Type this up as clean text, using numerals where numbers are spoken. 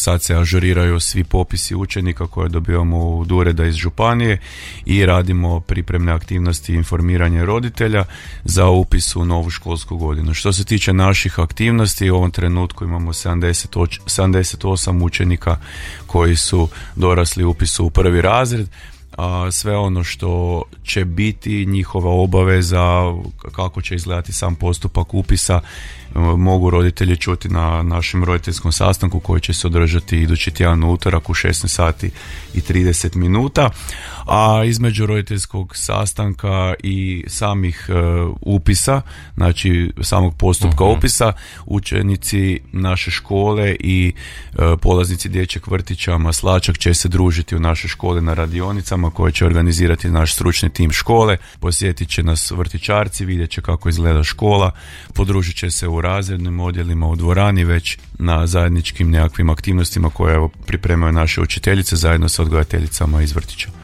sad se ažuriraju svi popisi učenika koje dobivamo od ureda iz županije i radimo pripremne aktivnosti i informiranje roditelja za upis u novu školsku godinu. Što se tiče naših aktivnosti, u ovom trenutku imamo 78 učenika koji su dorasli upisu u prvi razred, a sve ono što će biti njihova obaveza, kako će izgledati sam postupak upisa, mogu roditelji čuti na našem roditeljskom sastanku koji će se održati idući tjedan u utorak u 16 sati i 30 minuta. A između roditeljskog sastanka i samih upisa, znači samog postupka upisa, učenici naše škole i polaznici dječjeg vrtića Maslačak će se družiti u našoj školi na radionicama koje će organizirati naš stručni tim škole. Posjetit će nas vrtićarci, vidjet će kako izgleda škola, podružit će se u razrednim odjelima, u dvorani, već na zajedničkim nekakvim aktivnostima koje pripremaju naše učiteljice zajedno sa odgojiteljicama iz vrtića.